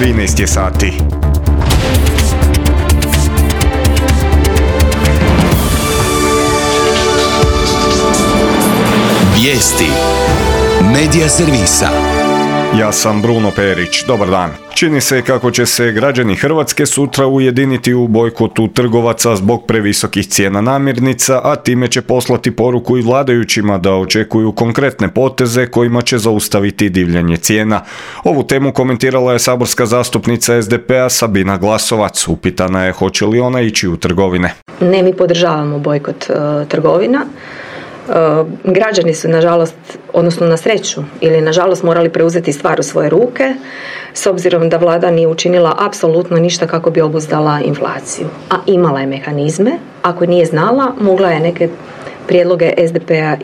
13 je sati. Vijesti Medija servisa. Ja sam Bruno Perić, dobar dan. Čini se kako će se građani Hrvatske sutra ujediniti u bojkotu trgovaca zbog previsokih cijena namirnica, a time će poslati poruku i vladajućima da očekuju konkretne poteze kojima će zaustaviti divljanje cijena. Ovu temu komentirala je saborska zastupnica SDP-a Sabina Glasovac. Upitana je hoće li ona ići u trgovine. Ne, mi podržavamo bojkot trgovina. Građani su nažalost, odnosno na sreću ili nažalost morali preuzeti stvar u svoje ruke s obzirom da vlada nije učinila apsolutno ništa kako bi obuzdala inflaciju. A imala je mehanizme, ako nije znala, mogla je neke prijedloge SDP-a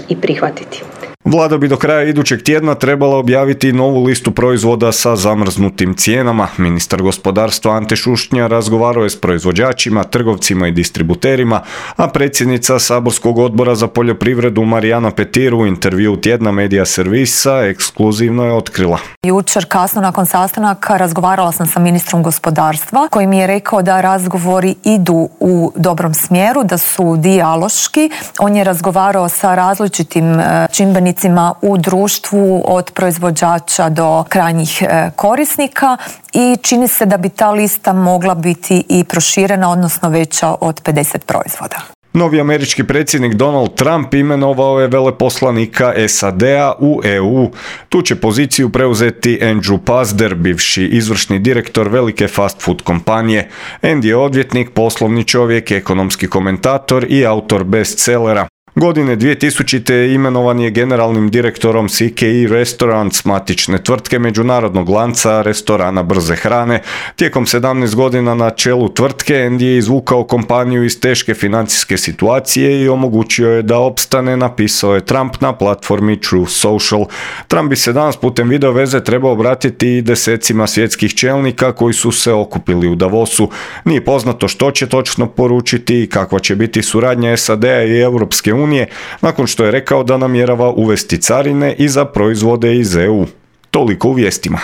i prihvatiti. Vlada bi do kraja idućeg tjedna trebala objaviti novu listu proizvoda sa zamrznutim cijenama. Ministar gospodarstva Ante Šušnja razgovarao je s proizvođačima, trgovcima i distributerima, a predsjednica saborskog odbora za poljoprivredu Marijana Petir u intervju tjedna Medija servisa ekskluzivno je otkrila. Jučer kasno nakon sastanaka razgovarala sam sa ministrom gospodarstva koji mi je rekao da razgovori idu u dobrom smjeru, da su dijaloški. On je razgovarao sa različitim čimbenicima u društvu od proizvođača do krajnjih korisnika i čini se da bi ta lista mogla biti i proširena, odnosno veća od 50 proizvoda. Novi američki predsjednik Donald Trump imenovao je veleposlanika SAD-a u EU. Tu će poziciju preuzeti Andrew Pazder, bivši izvršni direktor velike fast food kompanije. Andy je odvjetnik, poslovni čovjek, ekonomski komentator i autor bestsellera. Godine 2000. imenovan je generalnim direktorom CKE Restaurants, matične tvrtke međunarodnog lanca restorana brze hrane. Tijekom 17 godina na čelu tvrtke Andy je izvukao kompaniju iz teške financijske situacije i omogućio je da opstane, napisao je Trump na platformi Truth Social. Trump bi se danas putem video veze trebao obratiti i desecima svjetskih čelnika koji su se okupili u Davosu. Nije poznato što će točno poručiti i kakva će biti suradnja SAD-a i Europske unije nakon što je rekao da namjerava uvesti carine i za proizvode iz EU. Toliko u vijestima.